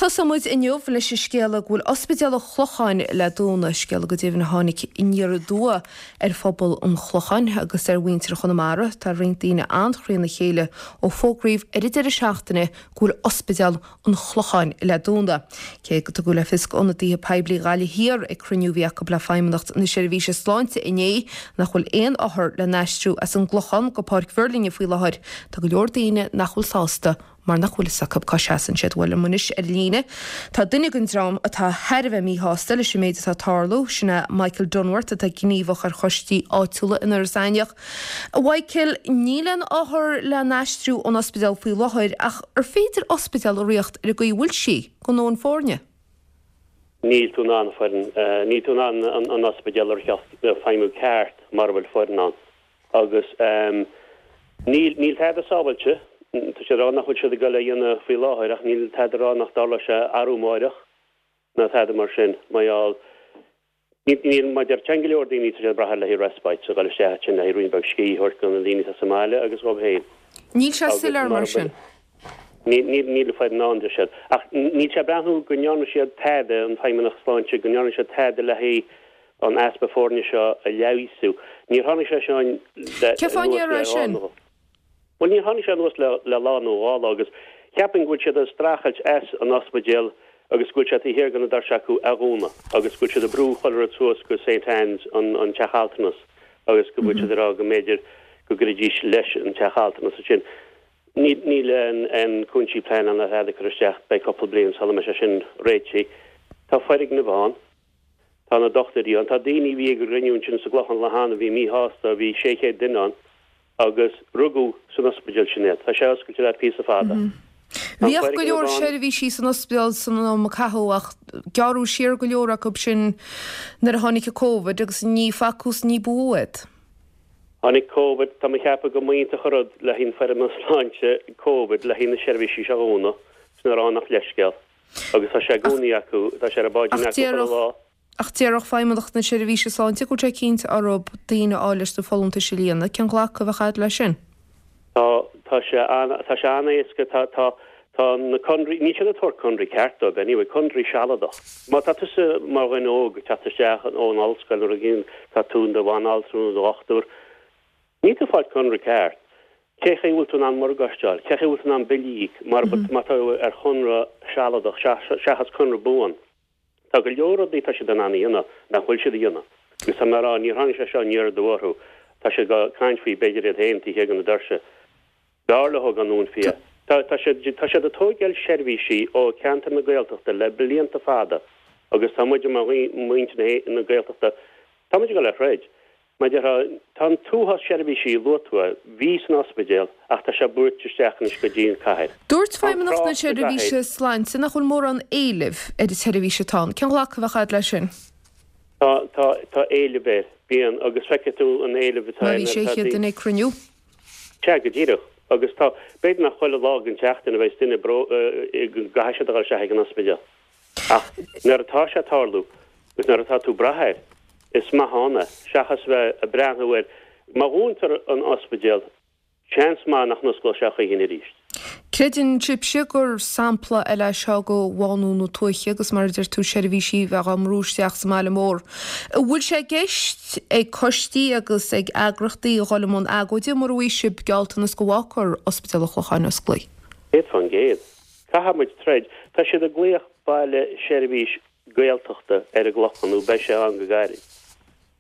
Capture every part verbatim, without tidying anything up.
Tosóidh muid inniu leis an scéala go bhfuil Ospidéal an Chlocháin le dúnadh, scéala go deimhin a tháinig aniar aduaidh ar phobal an Chlocháin agus ar mhuintir Chonamara. Tá roinnt daoine an-chríonna chéile ó fógraíodh ar an deireadh seachtaine go bhfuil Ospidéal an Chlocháin le dúnadh. Cé go dtugadh le fios d'ionadaithe poiblí Ghaillimh Thiar ag cruinniú a bhí acu le Feidhmeannacht na Seirbhíse Sláinte inné nach bhfuil aon othar le n-aistriú as an gClochán go Páirc Mhuirlinne faoi láthair, tá go leor daoine nach bhfuil sásta mar nach bhfuil a fhios acu cá seasann siad. Bhuel liom anois ar líne. Tá duine den dream atá thar a bheith míshásta leis an méid atá ag tarlú, sin é Michael Dunworth atá gníomhach ar choistí áitiúla in Iorras Aithneach. A Mhichael, níl aon othar le n-aistriú ón ospidéal faoi láthair ach ar féidir ospidéal a ritheacht ar an gcaoi a bhfuil sí gan dóthain foirne? Níl tú in ann foireann, níl tú in ann an ospidéal a ritheacht feidhmiú ceart mura bhfuil foireann ann. Agus níl níl tada sábháilte. Tá siad ag rá nach bhfuil siad ag dul a dhéanamh faoi láthair ach níl tada ag rá nach dtarlóidh sé arú amáireach ná tada mar sin. Mar gheall, níl, mar deir go leor daoine tá siad ag brath ar le haghaidh respite, a dhul isteach ansin le haghaidh roinnt beag scíth a thabhairt do na daoine atá sa mbaile agus dhóibh féin. Níl sé soiléir mar sin. Níl, níl, níl foireann ann, deir siad. Ach níl sé ag breathnú go ndearna siad tada, an Feidhmeannacht Sláinte, go ndearna siad tada le haghaidh an easpa foirne seo a leigheasú. Níor tháinig sé seo le, Cén fáth a ndéarfá sin? Bhuel, níor tháinig sé anuas le le lá nó dhá lá agus cheapfainn go bhfuil siad ag streachailt as an ospidéal agus go bhfuil sé taobh thiar de na doirse acu a dhúnadh agus go bhfuil siad ag brú chuile rud suas go Saint Anne's, an an teach altranas agus go bhfuil siad ag rá go mb'fhéidir go gcuirfidís leis an teach altranas ansin. Níl níl an an cúinsí pleanála ná tada curtha isteach, beidh cúpla bliain sula mbeidh sé sin réitithe. Tá foirgnimh ann, tá na dochtúirí ann, tá daoine a bhí ag an gcruinniú ansin sa gClochán lá cheana a bhí míshásta, bhí sé chéad duine ann. Agus rugadh san ospidéal sin iad. Tá sé oscailte le píosa fada. Tá an Bhíodh go leor foirgneamh ann. seirbhísí san ospidéal san am a caitheadh ach gearradh siar go leor acu sin nuair a tháinig an Covid agus ní facthas ní ba mhó iad. Tháinig Covid, tá mé ag ceapadh go mb'iontach an rud le haghaidh an Feidhmeannas Sláinte Covid le haghaidh na seirbhísí seo a dhúnadh, sin a rá nach leithscéal. Agus tá sé i gcónaí acu, tá sé ar a bpáidín Ach acu chuile déarfadh lá. Ach déarfadh Feidhmeannacht na Seirbhíse Sláinte go bhfuil sé cinnte orthu daoine a fháil leis na folúntais a líonadh. Cén glacadh a bheadh agat leis sin? Tá, tá sé an, tá sé an-éasca, tá, tá, tá na conraí, níl siad ag tabhairt conraí ceart dóibh anyway, conraí sealadach. Má tá tusa mar dhuine óg ag teacht isteach ón ollscoil nó rud éigin, tá tú in do bhanaltra nó do dhochtúir, níl tú ag fáil conradh ceart. Cé chaoi a bhfuil tú in ann morgáiste a fháil? Cé chaoi a bhfuil tú in ann billí a íoc mar, má tá tú ar chonradh sealadach seachas conradh buan? Tá go leor rudaí atá siad in ann a dhéanamh nach bhfuil siad a dhéanamh. Agus tá mé a rá, níor tháinig sé seo aniar aduaidh orthu. Tá siad ag caint faoi, b'fhéidir iad féin taobh thiar de na doirse. B'fhearr leo gan dúnfaí é. Tá, tá siad, tá siad ag tóigeáil seirbhísí ó cheantar na Gaeltachta le blianta fada agus tá muid mar mhuintir na Gaeltachta, tá muid ag dul a throid. Mar déarfá, tá an t-uafás seirbhísí, luaigh tú é, bhí san ospidéal ach tá sé brúite isteach anois go dtí an cathair. Dúirt Tá an Feidhmeannacht na trácht sa Seirbhíse gcathair. Sláinte nach bhfuil mórán éilimh ar an tseirbhís atá ann. Cén ghlacadh a bheadh agat leis sin? Tá, tá, tá éileamh air. Bíonn, agus feicfidh tú an éileamh atá Má air bhí nuair sé atá chéad daoine. duine ag cruinniú. Sea, go díreach. Agus tá, b'fhéidir nach chuile lá den tseachtain a bheidh duine bró, go gcaithfidh siad a dhul isteach ag an ospidéal. Ach nuair atá sé ag tarlú, agus nuair atá tú ag brath air, is maith ann é, seachas bheith ag breathnú air. Má dhúntar an ospidéal, seans maith nach n-osclóidh sé choíchin arís. Creideann sibhse gur sampla eile é seo de bhánú na tuaithe agus mar a deir tú seirbhísí a bheith á mbrú isteach sa mbaile mór. An bhfuil sé i gceist ag coistí agus ag eagrachtaí a dhul i mbun agóide mura bhfaighidh sibh gealltanas go bhfágfar Ospidéal an Chlocháin osclaí? Céad fán gcéad. Caithfidh muid troid. Tá siad ag glaoch baile seirbhís Gaeltachta ar an gClochán, nó beidh sé ann go gairid.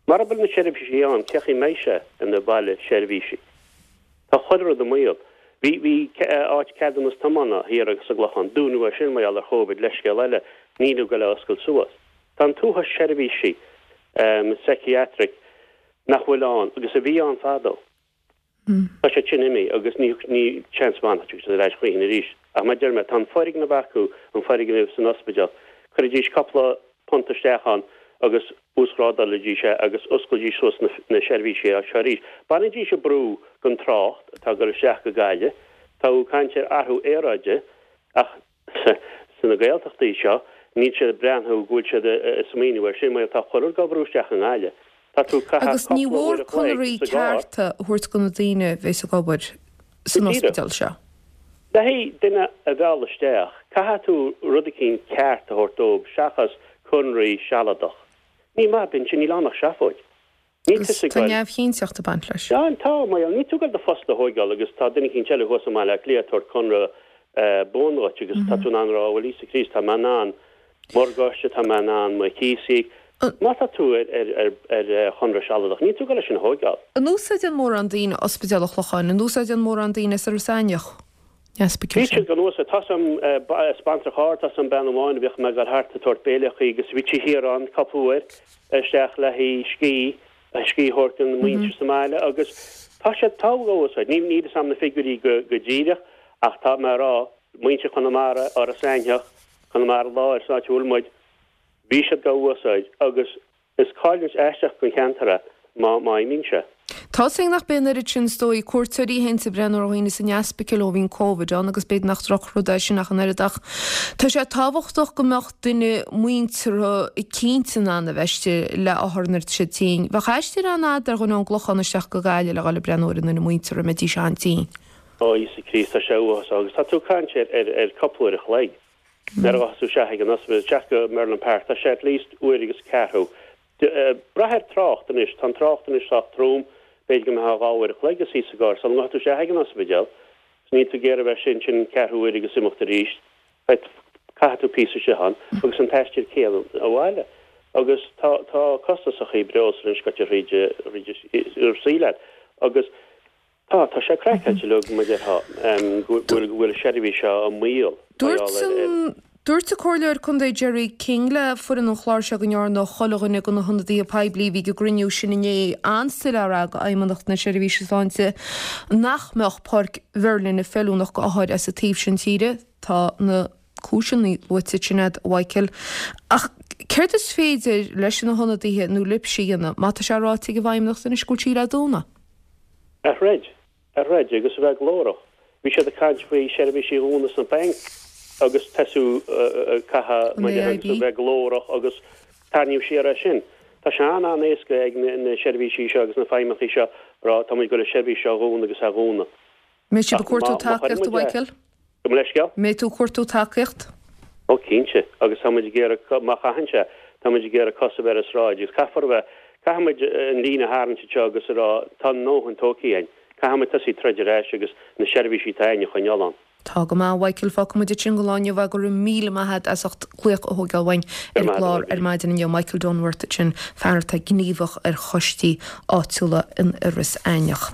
Mara bhfuil na seirbhísí ann, cé chaoi mbeidh sé ina bhaile seirbhísí? Tá chuile rud i mbaol. Bhí, bhí áit ceadúnas tiomána thiar sa gClochán, dúnadh é sin mar gheall ar Chóivid, leithscéal eile, níl ag goil a oscailt suas. Tá an t-uafás seirbhísí psychiatric nach bhfuil ann agus a bhí ann fadó. Tá siad sin imithe agus ní ní seans maith nach dtiocfaidh siad ar ais choíchin arís. Ach mar a deir mé, tá an foirgneamh acu, an foirgneamh san ospidéal, cuiridís cúpla punt isteach ann agus uasghrádálfaidís é agus osclaídís suas na na seirbhísí seo arís. Bainfidís an brú den trácht atá ag dul isteach go Gaillimh. Tá tú ag caint ar athrú aeráide ach sna Gaeltachtaí seo níl siad ag breathnú go bhfuil siad ag smaoineamh air sin mar tá chuile rud á bhrú isteach i nGaillimh. Tá tú ag caitheamh Agus ní cúpla mhór uair a chloig conairí sa gcarr. cearta a thabhairt do na daoine a bheas ag obair Go san díreach. ospidéal seo. Le haghaidh duine a mhealladh isteach, Caithfidh tú rud eicínt ceart a thabhairt dóibh seachas conraí sealadach. Ní maith bíonn sin níl ann ach seafóid. Níl tusa ag Tá goil. neamhchinnteacht ag baint leis. Ja, tá, mar níl tú ag goil do phost a thógáil agus tá duine eicínt eile thuas i mBaile Átha Cliath ag tabhairt conradh buan dhuit agus tá tú in ann a rá, bhuel Íosa Críost, tá mé in ann morgáiste, tá mé in ann mo chíos a íoc. Má tá tú ar ar ar chonradh sealadach, níl tú ag goil é sin a thógáil. An úsáideann mórán daoine Ospidéal an Chlocháin? An úsáideann mórán daoine as Iorras Aithneach? Bhí siad gan úsáid. Tá sam sponsor char, tá sam bean amháin a bhíodh mé ag goil thart ag tabhairt béile chuici agus bhí sí thiar ann cúpla uair isteach le haghaidh scíth, scíth a thabhairt don mhuintir sa mbaile agus tá siad tá á úsáid. Ní níl a fhios a'm na figiúirí go go díreach ach tá mé a rá, muintir Chonamara, Iorras Aithneach, Conamara Láir san áit a bhfuil muid, bhí siad gá úsáid agus is cailliúint aisteach don cheantar é má má imíonn sé. Tá sé nach b'in oiread sin is dóigh cuairteoirí a théann ag breathnú ar dhaoine san ospidéal ó bhíonn Covid ann agus b'fhéidir nach drochrud é sin ach an oiread ach tá sé tábhachtach go mbeadh duine muinteartha eicínt in ann a bheith istigh le othar nuair atá siad tinn. Bheadh aistear an-fhada ar dhuine ón gClochán isteach go Gaillimh le dhul ag breathnú ar an nduine muinteartha a mbeidís an-tinn. Ó Íosa Críost tá sé uafásach agus tá tú ag caint ar ar ar cúpla uair a chloig. Nuair a ghabhfas tú isteach ag an ospidéal, isteach go Merlin Park, tá sé at least uair agus ceathrú. Brath ar trácht anois, tá an trácht anois sách trom, b'fhéidir go mbeifeá dhá uair a chloig ag suí sa gcarr sula ngabhfaidh tú isteach ag an ospidéal, 's níl tú ag iarraidh a bheith sin sin ceathrú uair agus imeacht arís, caithfidh tú píosa istigh ann agus an t-aistear céanna abhaile. Agus tá tá costasachaí breosla anois goite thríd thríd an saol agus tá tá sé craiceáilte liom mar déarfá go bhfuil go bhfuil seirbhís seo i mbaol mar Dúirt gheall ar ar an Dúirt an Comhairleoir Contae Gerry King le foireann an chláir seo go ndearna chuile dhuine de na hionadaithe poiblí a bhí ag an gcruinniú sin inné an-soiléir ag Fheidhmeannacht na Seirbhíse Sláinte nach mbeadh Páirc Mherlin feiliúnach go othair as an taobh sin tíre. Tá na cúiseanna luaite sin agat a Mhichael. Ach céard is féidir leis na hionadaithe nó libhse a dhéanamh má tá sé ráite ag an bhFeidhmeannacht anois go bhfuil sí le dúnadh? A throid, a throid agus a bheith glórach. Bhí siad ag caint faoi seirbhísí a dhúnadh sna bainc agus tosú caithfidh An muid a AIB? bheith glórach agus tarraingt siar é sin. Tá sé an-an-éasca ag na, na seirbhísí seo agus na feidhmeannachaí seo rá tá muid ag goil an seirbhís seo a dhúnadh agus a dhúnadh. Mbeidh sibh Ach ag cuartú má- má chuireann tacaíocht a muid é- Mhichael? Go leisceal? Mbeidh tú ag cuartú tacaíocht? Ó cinnte agus tá muid ag iarraidh má chaitheann sé tá muid ag iarraidh cos a bheith ar an sráid agus caithfear a bheith caithfidh muid an líne a tharraingt seo agus a rá tá a ndóthain tógtha againn. Caithfidh muid tosaí troid ar ais agus na seirbhísí atá againn a choinneáil ann. Tá go maith Mhichael fágfaidh muid sin don lá inniu go raibh míle maith agat as ucht glaoch a thógáil uainn ar maith chlár agat. ar maidin inniu Michael Dunworth sin fear atá gníomhach ar choistí áitiúla in Iorras Aithneach.